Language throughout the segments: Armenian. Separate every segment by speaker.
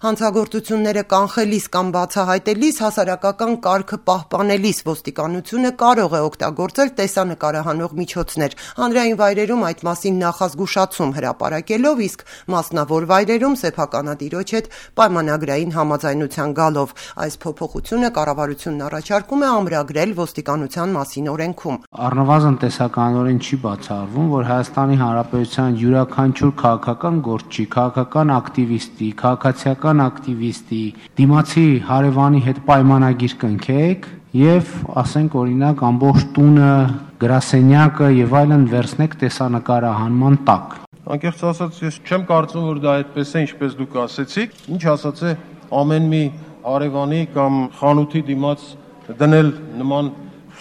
Speaker 1: Հանցագործությունները կանխելիս կամ բացահայտելիս, հասարակական կարգը պահպանելիս ոստիկանությունը կարող է օգտագործել տեսանկարահանող միջոցներ, հանրային վայրերում այդ մասին նախազգուշացում հրապարակելով, իսկ մասնավոր վայրերում սեփականատիրոջ հետ պայմանագրային համաձայնության գալով։ Այս փոփոխությունը կառավարությունն առաջարկում է ամրագրել ոստիկանության մասին օրենքում։
Speaker 2: Առնվազն տեսականորեն չի բացառվում, որ Հայաստանի Հանրապետության յուրաքանչյուր քաղաքական գործչի, քաղաքական ակտիվիստի, քաղաքացիական ակտիվիստի դիմացի հարևանի հետ պայմանագիր կնքեք եւ ասենք օրինակ ամբողջ տունը, գրասենյակը եւ այլն վերցնեք տեսանկարահանման տակ։
Speaker 3: Անկեղծ ասած, ես չեմ կարծում, որ դա այդպես է, ինչպես դուք ասեցիք, ինչ ասած է ամեն մի հարևանի կամ խանութի դիմաց դնել նման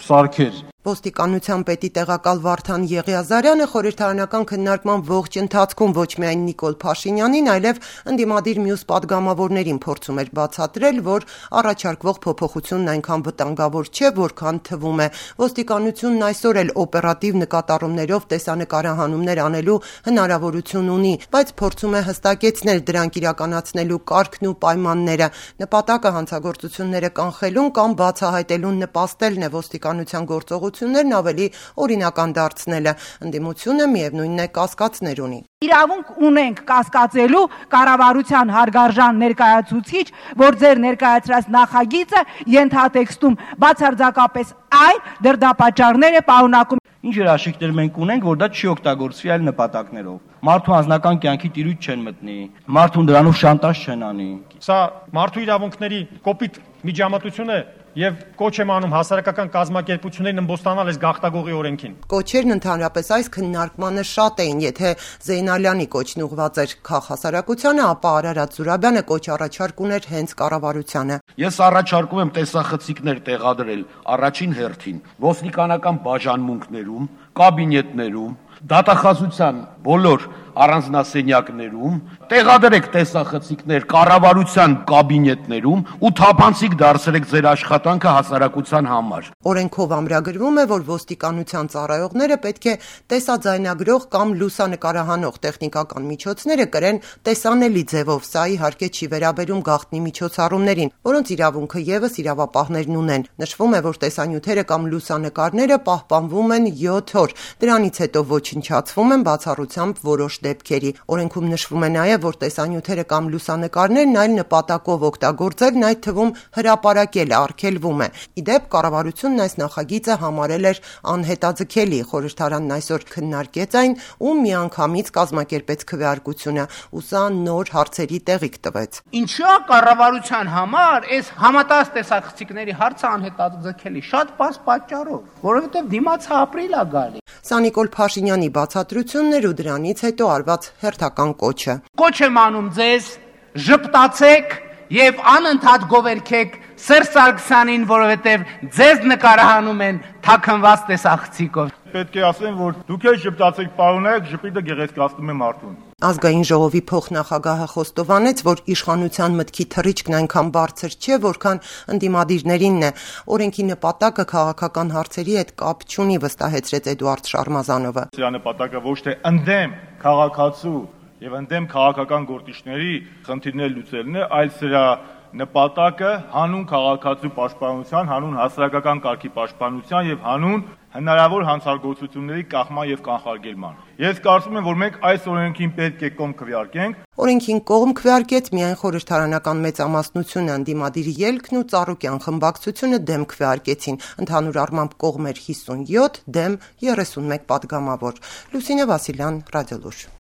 Speaker 3: սարքեր։
Speaker 1: Ոստիկանության պետի տեղակալ Վարդան Եղիազարյանը խորհրդարանական քննարկման ողջ ընթացքում ոչ միայն Նիկոլ Փաշինյանին, այլև ընդդիմադիր մյուս պատգամավորներին փորձում էր բացատրել, որ առաջարկվող փոփոխությունն այնքան վտանգավոր չէ, որքան թվում է։ Ոստիկանությունն այսօր էլ օպերատիվ նկատառումներով տեսանկարահանումներ անելու հնարավորություն ունի, բայց փորձում է հստակեցնել դրանք իրականացնելու կարգն ու պայմանները։ Նպատակը հանցագործությունները կանխելուն կամ բացահայտելուն նպաստելն է ոստիկանության գործողություններն ավելի օրինական դարձնելը։ Ընդդիմությունը միևնույնն է կասկածներ ունի։
Speaker 4: Իրավունք ունենք կասկածելու կառավարության հարգարժան ներկայացուցիչ, որ ձեր ներկայացրած նախագիծը ենթատեքստում բացարձակապես այլ դրդապատճառներ է պարունակում։
Speaker 5: Ինչ երաշխիքներ մենք ունենք, որ դա չի օգտագործվի այլ նպատակներով։ Մարդու անձնական կյանքի տիրույթ չեն մտնի, մարդուն դրանով շանտաժ չեն անի։
Speaker 6: Սա մարդու իրավունքների կոպիտ միջամտություն է եւ կոչ եմ անում հասարակական կազմակերպություններին ըմբոստանալ այս գաղթագողի օրենքին։
Speaker 1: Կոչերն ընդհանրապես այս քննարկմանը շատ էին, եթե Զեյնալյանի կոչն ուղղված էր քաղաքասարակությանը, ապա Արարատ Զուրաբյանը կոչ առաջարկ ուներ հենց կառավարությանը։
Speaker 7: Ես առաջարկում եմ տեսախցիկներ տեղադրել առաջին հերթին ոստիկանական բաժանմունքներում, կաբինետներում, դատախազության բոլոր առանձնասենյակներում, տեղադրեք տեսախցիկներ կառավարության կաբինետներում ու թափանցիկ դարձրեք ձեր աշխատանքը հասարակության համար։
Speaker 1: Օրենքով ամրագրվում է, որ ոստիկանության ծառայողները պետք է տեսաձայնագրող կամ լուսանկարահանող տեխնիկական միջոցները կրեն տեսանելի ձևով։ Սա իհարկե չի վերաբերում գաղտնի միջոցառումներին, որոնց իրավունքը ևս իրավապահներն ունեն։ Նշվում է, որ տեսանյութերը կամ լուսանկարները պահպանվում են 7 օր։ Դրանից հետո ոչնչացվում են բացառությամբ որոշ դեպքերի։ Օրենքում նշվում է նաև, որ տեսանյութերը կամ լուսանկարներն այլ նպատակով օգտագործելն, այդ թվում հրապարակելը արգելվում է։ Իդեպ կառավարությունն այս նախագիծը համարել էր անհետաձգելի։ Խորհրդարանն այսօր քննարկեց այն ու միանգամից կազմակերպեց քվեարկությունը, ու սա նոր հարցերի տեղիք տվեց։
Speaker 8: Ինչու՞ կառավարության համար այս համատած տեսախցիկների հարցը անհետաձգելի, շատ բաց պատճառով, որովհետև դիմացը ապրիլ է գալի։
Speaker 1: Սա Նիկոլ Փաշինյանի բացատրությունն էր ու դրանից հետո արված հերթական կոչը։
Speaker 8: Կոչ եմ անում ձեզ, ժպտացեք եւ անընդհատ գովերքեք Սերժ Սարգսյանին, որովհետեւ ձեզ նկարահանում են թաքնված տեսախցիկով։
Speaker 3: Պետք է ասեմ, որ դուք էլ ժպտացեք, պարոնայք, ժպիտը գեղեցկացնում է մարդուն։
Speaker 1: Ազգային ժողովի փոխնախագահը խոստովանեց, որ իշխանության մտքի թռիչքն այնքան բարձր չէ, որքան ընդդիմադիրներինն է։ Օրենքի նպատակը քաղաքական հարցերի հետ կապ չունի, վստահեցրեց Էդուարդ Շարմազանովը։
Speaker 3: Սրա նպատակը ոչ թե ընդդեմ քաղաքացու եւ ընդդեմ քաղաքական գործիչների խնդիրներ լուծելն է, այլ սրա նպատակը հանուն քաղաքացու պաշտպանության, հանուն հասարակական կարգի պաշտպանության եւ հանուն հնարավոր հանցագործությունների կախման եւ կանխարգելման։ Ես կարծում եմ, որ մենք այս օրենքին պետք է կողմ քվեարկենք։
Speaker 1: Օրենքին կողմ քվեարկեց միայն խորհրդարանական մեծամասնությունը, ընդդիմադիրի ելքն ու Ծառուկյան խմբակցությունը դեմ քվեարկեցին։ Ընդհանուր առմամբ կողմ էր 57, դեմ 31 պատգամավոր։ Լուսինե Վասիլյան, Ռադիոլուր։